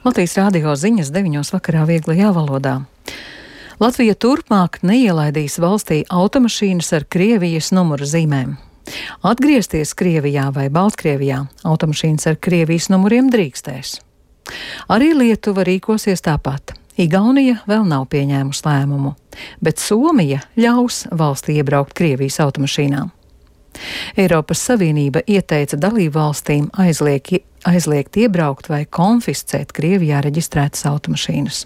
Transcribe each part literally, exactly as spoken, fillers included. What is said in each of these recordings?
Latvijas rādio ziņas deviņos vakarā vieglajā valodā. Latvija turpmāk neielaidīs valstī automašīnas ar Krievijas numura zīmēm. Atgriezties Krievijā vai Baltkrievijā automašīnas ar Krievijas numuriem drīkstēs. Arī Lietuva rīkosies tāpat. Igaunija vēl nav pieņēmusi lēmumu, bet Somija ļaus valstī iebraukt Krievijas automašīnām. Eiropas Savienība ieteica dalību valstīm aizliek, aizliegt iebraukt vai konfiscēt Krievijā reģistrētas automašīnas.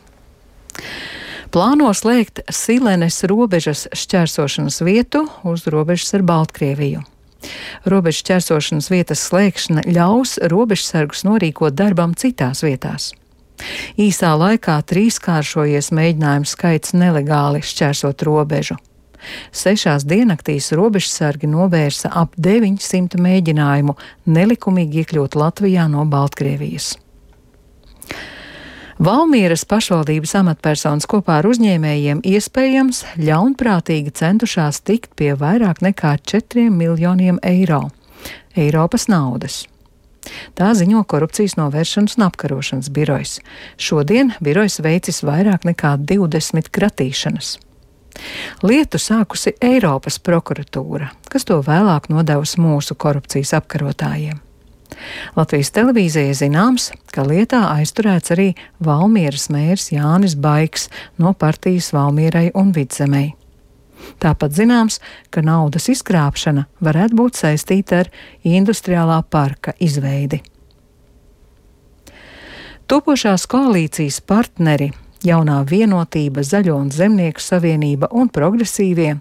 Plāno slēgt Silenes robežas šķērsošanas vietu uz robežas ar Baltkrieviju. Robežas šķērsošanas vietas slēgšana ļaus robežsargus norīkot darbam citās vietās. Īsā laikā trīskāršojies mēģinājumu skaits nelegāli šķērsot robežu. Sešās diennaktīs robežsargi novērsa ap deviņsimt mēģinājumu nelikumīgi iekļūt Latvijā no Baltkrievijas. Valmieras pašvaldības amatpersonas kopā ar uzņēmējiem iespējams ļaunprātīgi centušās tikt pie vairāk nekā četriem miljoniem eiro Eiropas naudas. Tā ziņo Korupcijas novēršanas un apkarošanas birojs. Šodien birojs veicis vairāk nekā divdesmit kratīšanas. Lietu sākusi Eiropas prokuratūra, kas to vēlāk nodevusi mūsu korupcijas apkarotājiem. Latvijas televīzijai zināms, ka lietā aizturēts arī Valmieras mērs Jānis Baigs no partijas Valmierai un Vidzemei. Tāpat zināms, ka naudas izkrāpšana varētu būt saistīta ar industriālā parka izveidi. Topošās koalīcijas partneri Jaunā vienotība, Zaļo un Zemnieku savienība un Progresīvie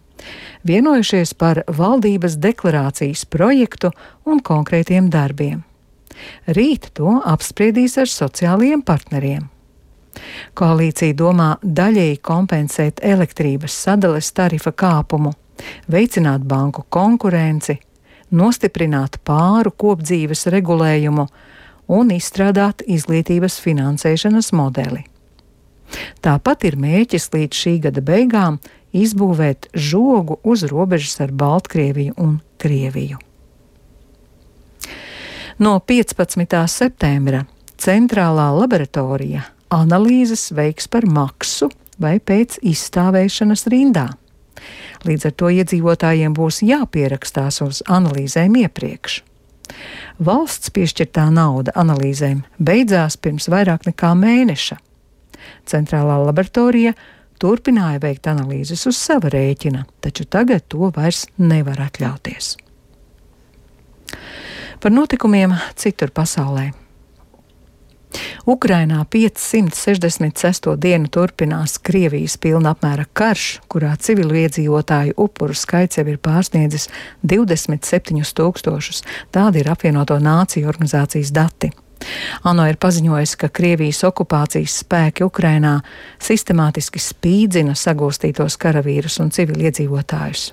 vienojušies par valdības deklarācijas projektu un konkrētiem darbiem. Rīt to apspriedīs ar sociālajiem partneriem. Koalīcija domā daļēji kompensēt elektrības sadales tarifa kāpumu, veicināt banku konkurenci, nostiprināt pāru kopdzīves regulējumu un izstrādāt izglītības finansēšanas modeli. Tāpat ir mērķis līdz šī gada beigām izbūvēt žogu uz robežas ar Baltkrieviju un Krieviju. No piecpadsmitā septembra centrālā laboratorija analīzes veiks par maksu vai pēc izstāvēšanas rindā. Līdz ar to iedzīvotājiem būs jāpierakstās uz analīzēm iepriekš. Valsts piešķirtā nauda analīzēm beidzās pirms vairāk nekā mēneša. Centrālā laboratorija turpināja veikt analīzes uz sava rēķina, taču tagad to vairs nevar atļauties. Par notikumiem citur pasaulē. Ukrainā piecsimt sešdesmit sesto dienu turpinās Krievijas pilna apmēra karš, kurā civilu iedzīvotāju upuru skaits jau ir pārsniedzis divdesmit septiņus tūkstošus. Tādi ir apvienoto nāciju organizācijas dati. ANO ir paziņojis, ka Krievijas okupācijas spēki Ukrainā sistemātiski spīdzina sagūstītos karavīrus un civiliedzīvotājus.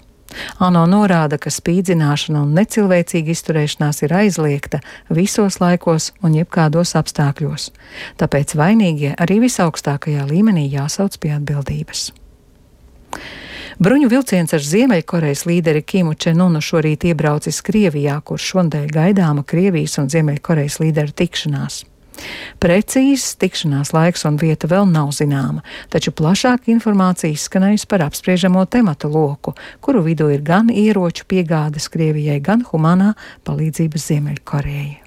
ANO norāda, ka spīdzināšana un necilvēcīga izturēšanās ir aizliegta visos laikos un jebkādos apstākļos. Tāpēc vainīgie arī visaugstākajā līmenī jāsauc pie atbildības. Bruņu vilciens ar Ziemeļkorejas līderi Kimu Čen Unu šorīt iebraucis Krievijā, kur šonadēļ gaidāma Krievijas un Ziemeļkorejas līderu tikšanās. Precīzs tikšanās laiks un vieta vēl nav zināma, taču plašāk informācija izskanējusi par apspriežamo tematu loku, kuru vidū ir gan ieroču piegādes Krievijai, gan humanā palīdzības Ziemeļkorejai.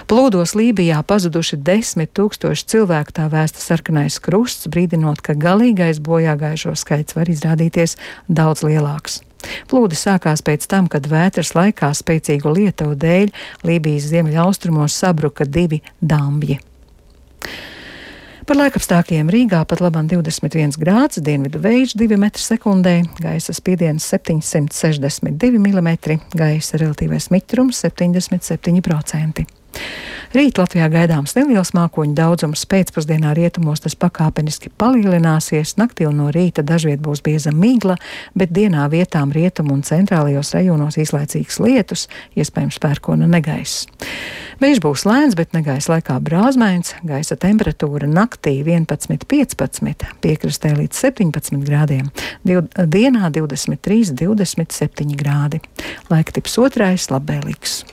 Plūdos Lībijā pazuduši desmit tūkstoši cilvēku, tā vēsta Sarkanais krusts, brīdinot, ka galīgais bojāgājušo skaits var izrādīties daudz lielāks. Plūdi sākās pēc tam, kad vētras laikā spēcīgu lietuvu dēļ Lībijas ziemeļaustrumos sabruka divi dambji. Par laikapstākļiem Rīgā pat labam divdesmit viens grāds, dienvidu vējš divi metri sekundē, gaisa spiediens septiņsimt sešdesmit divi milimetri, gaisa relatīvais mitrums septiņdesmit septiņi procenti. Rīt Latvijā gaidāms neliels mākoņu daudzums, pēcpusdienā rietumos tas pakāpeniski palielināsies, naktī un no rīta dažviet būs bieza migla, bet dienā vietām rietumu un centrālajos rajonos īslaicīgs lietus, iespējams pērkona negaiss. Vējš būs lēns, bet negaiss laikā brāzmains, gaisa temperatūra naktī vienpadsmit piecpadsmit, piekrastē līdz septiņpadsmit grādiem, Div, dienā divdesmit trīs divdesmit septiņi grādi. Laiktips otrais labvēlīgs.